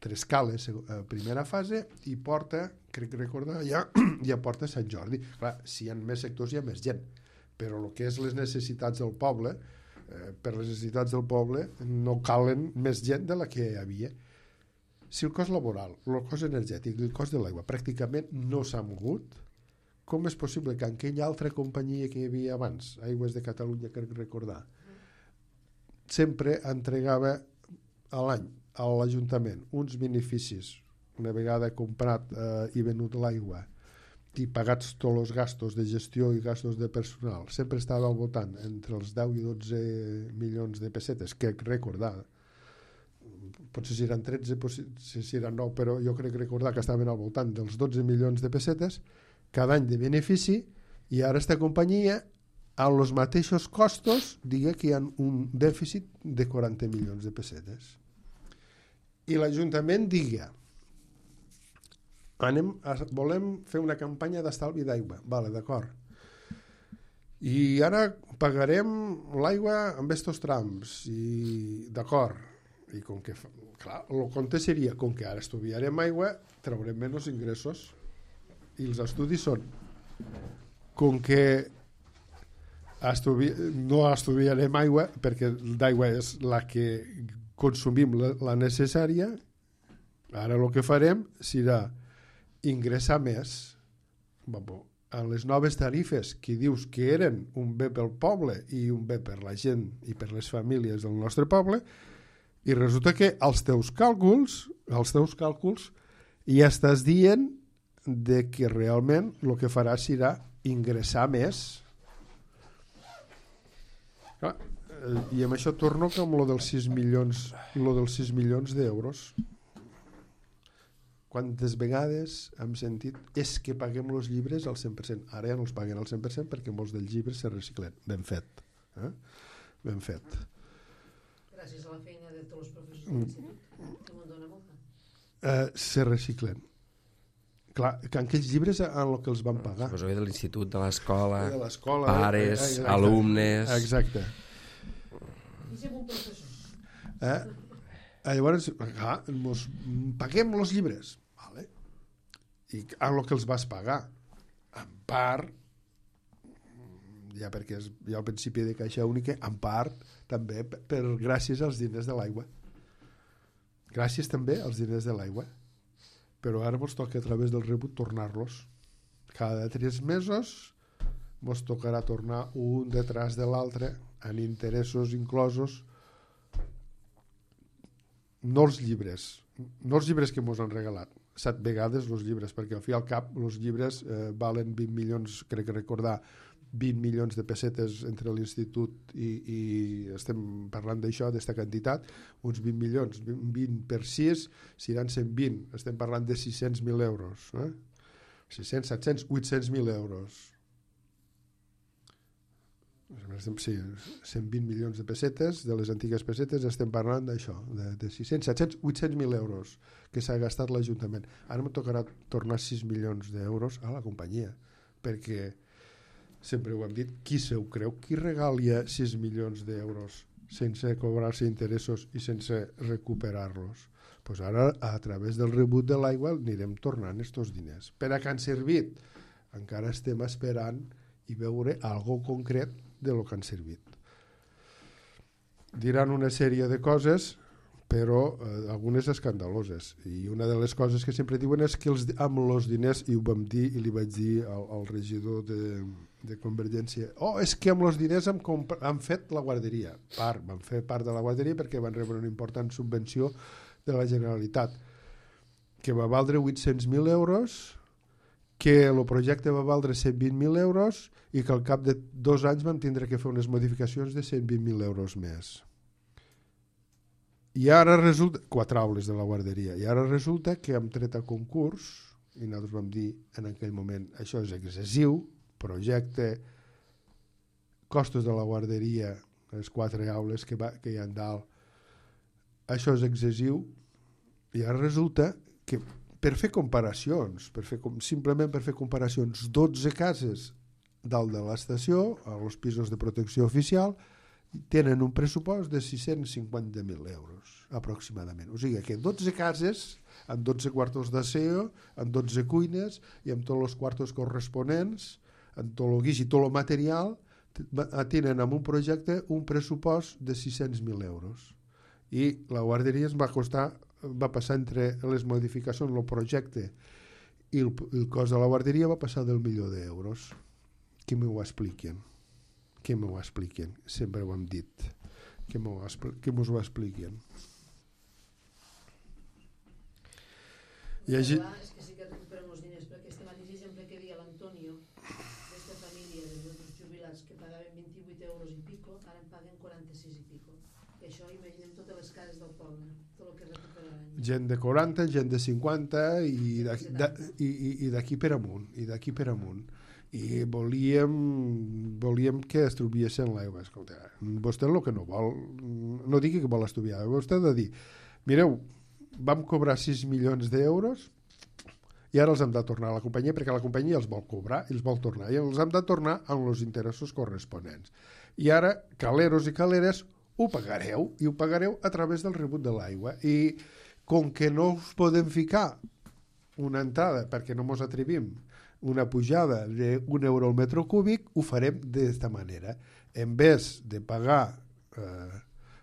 Tres Cales a primera fase i porta, crec recordar, ja porta Sant Jordi. Clar, si hi ha més sectors hi ha més gent, però el que és les necessitats del poble, per les necessitats del poble no calen més gent de la que hi havia. Si el cost laboral, el cost energètic i el cost de l'aigua pràcticament no s'ha mogut, com és possible que en aquella altra companyia que hi havia abans, Aigües de Catalunya, crec recordar, sempre entregava a l'any a l'Ajuntament uns beneficis, una vegada comprat i venut l'aigua i pagats tots els gastos de gestió i gastos de personal, sempre estava al voltant entre els 10 i 12 milions de pessetes, crec recordar, potser si eren 13, potser si eren 9, però jo crec recordar que estaven al voltant dels 12 milions de pessetes cada any de benefici, i ara esta companyia a els mateixos costos diga que hi ha un dèficit de 40 milions de pessetes. I l'Ajuntament diga volem fer una campanya d'estalvi d'aigua, vale, d'acord, i ara pagarem l'aigua amb estos trams, i d'acord, i com que clar, el compte seria, com que ara estudiarem aigua traurem menys ingressos, i els estudis són com que no estudiarem aigua perquè d'aigua és la que consumim la necessària, ara el que farem serà ingressar més en les noves tarifes que dius que eren un bé pel poble i un bé per la gent i per les famílies del nostre poble, i resulta que els teus càlculs ja estàs dient de que realment el que farà serà ingressar més. Clar, i amb això torno com lo dels 6 milions d'euros. Quantes vegades hem sentit és que paguem els llibres al 100%. Ara ja no els paguen al 100% perquè molts dels llibres se reciclen. Ben fet. Ben fet. Gràcies a la feina de tots els professors de l'institut, que m'ho dona molta. Se reciclen. Clar, que aquells llibres en el que els van pagar. Pues de l'institut, de l'escola, pares, alumnes... Exacte. I ser un professor. Llavors, paguem els llibres. Vale. I en el que els vas pagar, en part, ja perquè hi ha el principi de caixa única, en part també gràcies als diners de l'aigua. Gràcies també als diners de l'aigua. Però ara ens toca a través del rebut tornar-los. Cada 3 mesos ens tocarà tornar un detrás de l'altre, en interessos inclosos, no els llibres que ens han regalat 7 vegades els llibres, perquè al fi al cap els llibres valen 20 milions, crec recordar, 20 milions de pessetes entre l'institut i estem parlant d'això, d'esta quantitat, uns 20 milions, 20 per 6 seran 120, estem parlant de 600.000 euros, 600, 700, 800.000 euros. Sí, 120 milions de pessetes, de les antigues pessetes, estem parlant d'això, de 600, 700, 800.000 euros que s'ha gastat l'Ajuntament. Ara em tocarà tornar 6 milions d'euros a la companyia, perquè sempre ho hem dit, qui se ho creu? Qui regalia 6 milions d'euros sense cobrar-se interessos i sense recuperar-los? Pues ara, a través del rebut de l'aigua, anirem tornant estos diners. Per a què han servit? Encara estem esperant i veure algo concret de lo que han servit. Diran una sèrie de coses, però algunes escandaloses. I una de les coses que sempre diuen és que amb els diners, i ho vam dir i li vaig dir al regidor de Convergència, és que amb els diners han fet la guarderia. Van fer part de la guarderia perquè van rebre una important subvenció de la Generalitat, que va valdre 800.000 euros, que el projecte va valdre 120.000 euros i que al cap de 2 anys vam tindre que fer unes modificacions de 120.000 euros més. I ara resulta, 4 aules de la guarderia, i ara resulta que hem tret a concurs, i nosaltres vam dir en aquell moment, això és excessiu, projecte, costos de la guarderia, les 4 aules que hi ha dalt, això és excessiu, i ara resulta que per fer comparacions, simplement per fer comparacions, 12 cases dalt de l'estació, als pisos de protecció oficial, tenen un pressupost de 650.000 euros, aproximadament. O sigui que 12 cases, amb 12 quartos d'aseo, amb 12 cuines, i amb tots els quartos corresponents, amb tot el guix i tot el material, tenen amb un projecte un pressupost de 600.000 euros. I la guarderia ens va passar entre les modificacions, el projecte i el cost de la guarderia va passar del $1.000.000. Que m'ho expliquen? Sempre ho hem dit. Que mos ho expliquen? És que sí que recuperem els diners, perquè este mateix exemple que deia l'Antonio, d'esta família de nostres jubilats que pagaven 28 euros i pico, ara en paguen 46 i pico. I això imaginem totes les cases del poble, tot el que recuperaran. Gent de 40, gent de 50 i d'aquí per amunt. I volíem que estuviessin l'aigua. Escolta, vostè el que no vol, no digui que vol estudiar, vostè ha de dir, mireu, vam cobrar 6 milions d'euros i ara els hem de tornar a la companyia perquè la companyia els vol cobrar i els vol tornar i els hem de tornar amb els interessos corresponents. I ara, caleros i caleres, ho pagareu i ho pagareu a través del rebut de l'aigua. I com que no us podem ficar una entrada perquè no mos atrevim una pujada d'1 euro al metre cúbic, ho farem d'esta manera. En vez de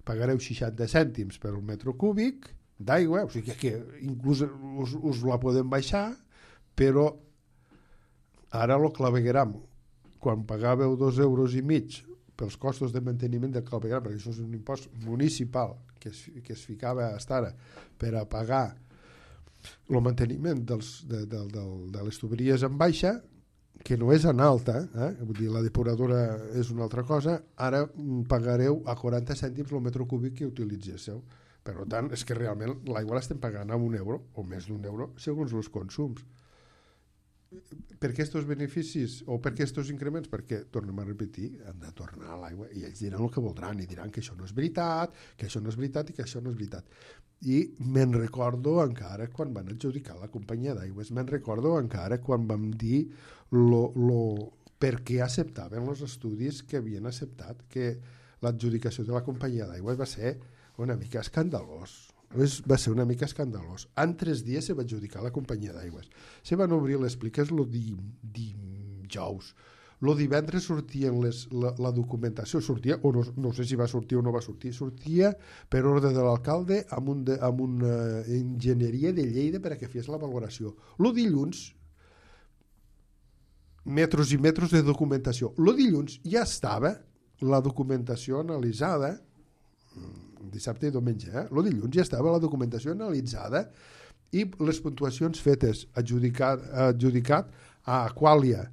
pagareu 60 cèntims per un metre cúbic d'aigua, o sigui que inclús us la podem baixar, però ara lo clavegueram. Quan pagàveu 2,5 euros pels costos de manteniment del clavegueram, perquè això és un impost municipal que es ficava fins ara per a pagar el manteniment de les tuberies en baixa, que no és en alta, vull dir, la depuradora és una altra cosa, ara pagareu a 40 cèntims el metre cúbic que utilitzéssiu. Per tant, és que realment l'aigua l'estem pagant a €1 o més d'€1 segons els consums. Per què aquests beneficis o per què aquests increments? Perquè, tornem a repetir, han de tornar a l'aigua i ells diran el que voldran i diran que això no és veritat, que això no és veritat i que això no és veritat. I me'n recordo encara quan van adjudicar la companyia d'aigües, me'n recordo encara quan vam dir per què acceptaven els estudis que havien acceptat, que l'adjudicació de la companyia d'aigües va ser una mica escandalós. Va ser una mica escandalós. En 3 dies se va adjudicar la companyia d'aigües. Se van obrir les pliques el dijous. El divendres sortia la documentació, sortia, o no sé si va sortir o no va sortir, sortia per ordre de l'alcalde amb una enginyeria de Lleida per a que fes la valoració. El dilluns, metres i metres de documentació. El dilluns ja estava la documentació analitzada, dissabte i diumenge, el dilluns ja estava la documentació analitzada i les puntuacions fetes, adjudicat a Aquàlia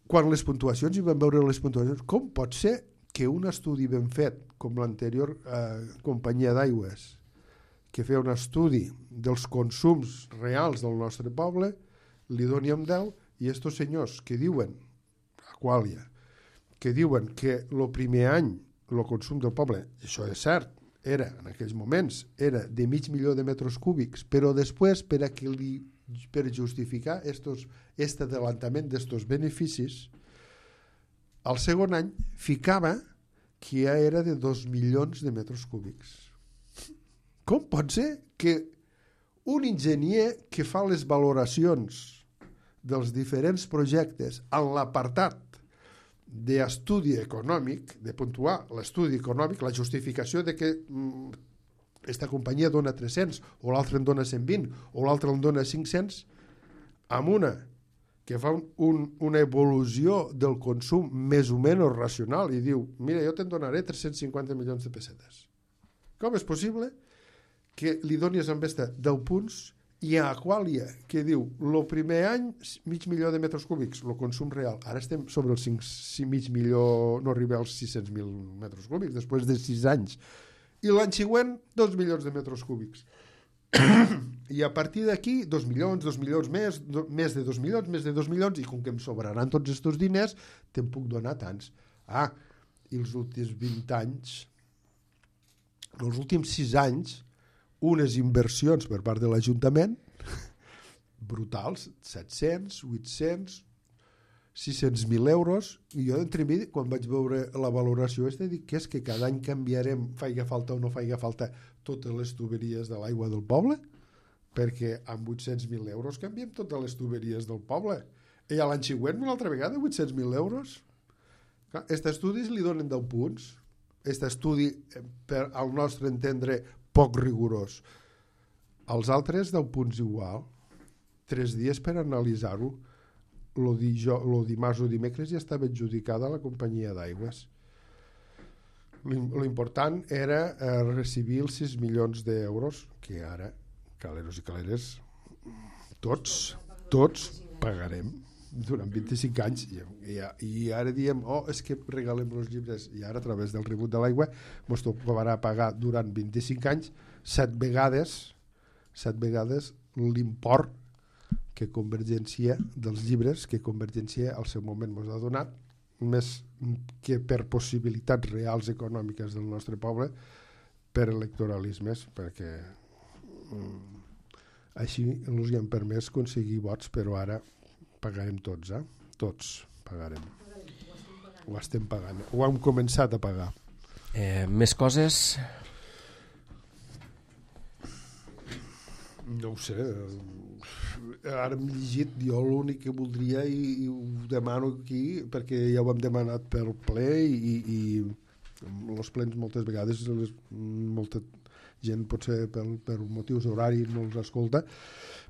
quan les puntuacions, i vam veure les puntuacions, com pot ser que un estudi ben fet, com l'anterior companyia d'aigües, que feia un estudi dels consums reals del nostre poble, li doni amb 10, i estos senyors que diuen, Aqualia, que diuen que el primer any el consum del poble, això és cert, era, en aquells moments, era de 500.000 de metres cúbics, però després, per justificar este adelantament d'estos beneficis, al segon any ficava que ja era de 2 milions de metres cúbics. Com pot ser que un enginyer que fa les valoracions dels diferents projectes en l'apartat d'estudi econòmic, de puntuar l'estudi econòmic, la justificació de que aquesta companyia dona 300 o l'altra en dona 120 o l'altra en dona 500, amb una que fa una evolució del consum més o menys racional i diu, mira, jo te'n donaré 350 milions de pessetes. Com és possible que li donis amb aquesta 10 punts i a Aqualia, que diu, el primer any 500.000 de metres cúbics, el consum real, ara estem sobre els 5.000.000, no arriba als 600.000 metres cúbics, després de 6 anys, i l'any següent 2 milions de metres cúbics. I a partir d'aquí 2 milions més, més de 2 milions, més de 2 milions, i com que em sobraran tots aquests diners, te'n puc donar tants. I els últims 20 anys, els últims 6 anys, unes inversions per part de l'Ajuntament brutals, 700, 800, 600.000 euros, i jo d'entremidi, quan vaig veure la valoració dic que és que cada any canviarem, faiga falta o no faiga falta, totes les tuberies de l'aigua del poble, perquè amb 800.000 euros canviem totes les tuberies del poble, i a l'any següent una altra vegada 800.000 euros. Aquests estudis li donen 10 punts, aquest estudi, per al nostre entendre, poc rigorós. Els altres 10 punts igual, 3 dies per analitzar-ho. El dimarts o dimecres ja estava adjudicada a la companyia d'aigües. L'important era recibir els 6 milions d'euros que ara, caleros i caleres, tots pagarem durant 25 anys i ara diem, és que regalem els llibres, i ara a través del rebut de l'aigua ens tocarà pagar durant 25 anys 7 vegades l'import que Convergència dels llibres que Convergència al seu moment ens ha donat, més que per possibilitats reals econòmiques del nostre poble, per electoralismes, perquè així ens han permès aconseguir vots, però ara pagarem tots, tots pagarem. Ho estem pagant, ho hem començat a pagar. Més coses? No ho sé, ara hem llegit, jo l'únic que voldria i ho demano aquí, perquè ja ho hem demanat pel ple i els plens moltes vegades molta gent potser per motius horaris no els escolta,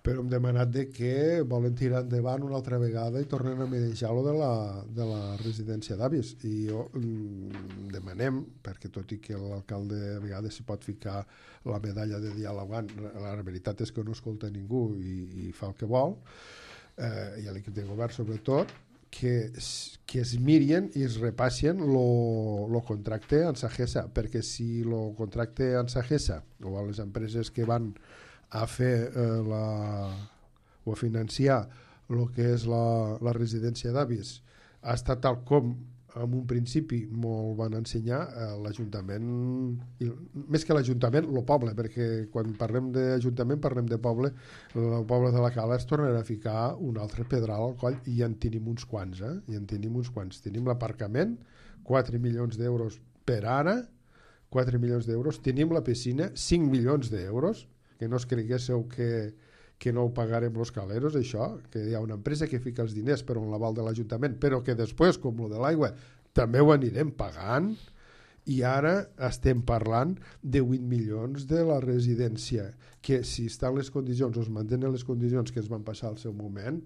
però hem demanat que volen tirar endavant una altra vegada i tornen a manejar-lo de la residència d'avis, i jo demanem, perquè tot i que l'alcalde a vegades s'hi pot ficar la medalla de dialogant, la veritat és que no escolta ningú i fa el que vol, i l'equip de govern sobretot, que es mirin i es repassen el contracte en Sagesa, perquè si el contracte en Sagesa o a les empreses que van a fer o a financiar el que és la residència d'avis ha estat tal com en un principi molt van ensenyar, l'Ajuntament, més que l'Ajuntament, el poble, perquè quan parlem d'Ajuntament parlem de poble, el poble de la Cala es tornarà a ficar un altre pedral al coll, i ja en tenim uns quants, tenim l'aparcament, 4 milions d'euros per ara, 4 milions d'euros, tenim la piscina, 5 milions d'euros, que no es creguéssiu que no ho pagarem els caleros, això, que hi ha una empresa que fica els diners per un l'aval de l'Ajuntament, però que després, com el de l'aigua, també ho anirem pagant, i ara estem parlant de 8 milions de la residència, que si estan les condicions, o es mantenen les condicions que es van passar al seu moment,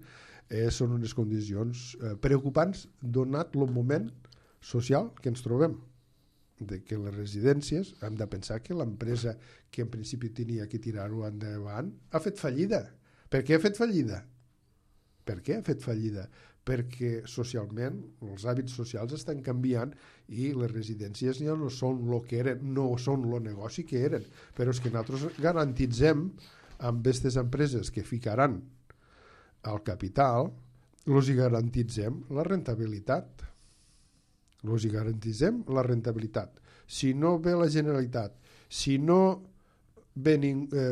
són unes condicions preocupants, donat el moment social que ens trobem, de que les residències, hem de pensar que l'empresa que en principi tenia que tirar-ho endavant ha fet fallida. Per què ha fet fallida? perquè socialment els hàbits socials estan canviant i les residències ja no són el que eren, no són el negoci que eren, però és que nosaltres garantitzem amb aquestes empreses que ficaran el capital, els hi garantitzem la rentabilitat. Els hi garantitzem la rentabilitat. Si no ve la Generalitat, si no ve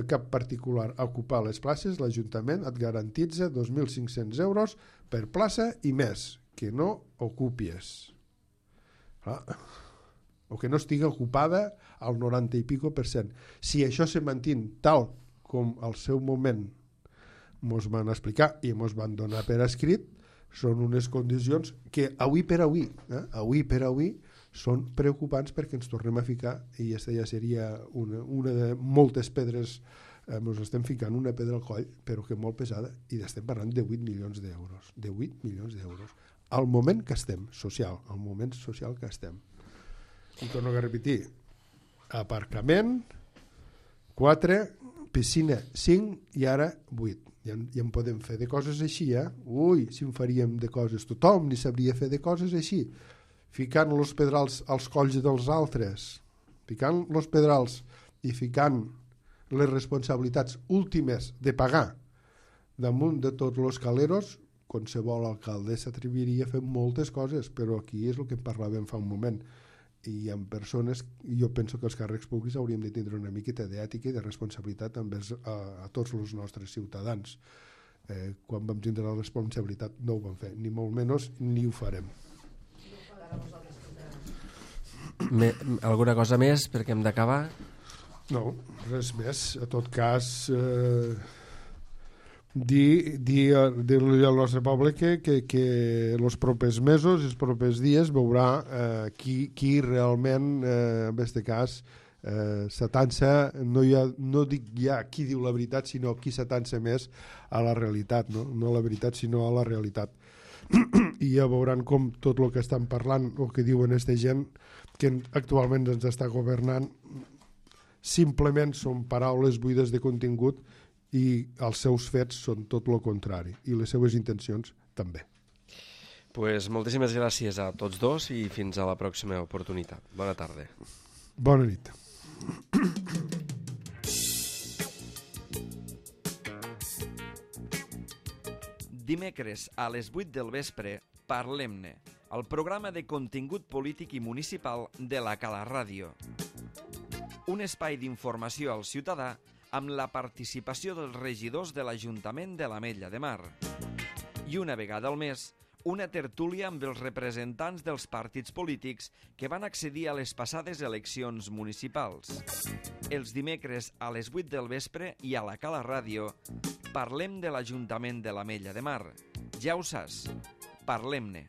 cap particular a ocupar les places, l'Ajuntament et garantitza 2.500 euros per plaça i més, que no ocupies. O que no estigui ocupada al 90 i pico %. Si això se manté tal com al seu moment ens van explicar i ens van donar per escrit, són unes condicions que avui per avui són preocupants perquè ens tornem a ficar, i aquesta ja seria una de moltes pedres, ens estem ficant una pedra al coll, però que molt pesada, i estem parlant de 8 milions d'euros. De 8 milions d'euros. Al moment que estem, al moment social que estem. I torno a repetir, aparcament, 4, piscina, 5 i ara 8. Ja en podem fer de coses així, Ui, si en faríem de coses. Tothom ni sabria fer de coses així. Ficant els pedrals als colls dels altres, ficant els pedrals i ficant les responsabilitats últimes de pagar damunt de tots els caleros, qualsevol alcalde s'atreviria a fer moltes coses, però aquí és el que parlàvem fa un moment. I amb persones, jo penso que els càrrecs públics hauríem de tindre una miqueta d'ètica i de responsabilitat envers a tots els nostres ciutadans. Quan vam tindre la responsabilitat no ho vam fer, ni molt menys ni ho farem. Alguna cosa més perquè hem d'acabar? No, res més. A tot cas, dir al nostre poble que els propers mesos, els propers dies, veurà qui realment, en aquest cas, s'atansa, no dic ja qui diu la veritat, sinó qui s'atansa més a la realitat, no a la veritat, sinó a la realitat. I ja veuran com tot el que estan parlant, o que diuen aquesta gent que actualment ens està governant, simplement són paraules buides de contingut i els seus fets són tot el contrari, i les seves intencions també. Pues moltíssimes gràcies a tots dos i fins a la pròxima oportunitat. Bona tarda. Bona nit. Dimecres a les 8 del vespre, Parlem-ne, el programa de contingut polític i municipal de la Cala Ràdio. Un espai d'informació al ciutadà amb la participació dels regidors de l'Ajuntament de l'Ametlla de Mar. I una vegada al mes, una tertúlia amb els representants dels partits polítics que van accedir a les passades eleccions municipals. Els dimecres a les 8 del vespre i a la Cala Ràdio parlem de l'Ajuntament de l'Ametlla de Mar. Ja ho saps, parlem-ne.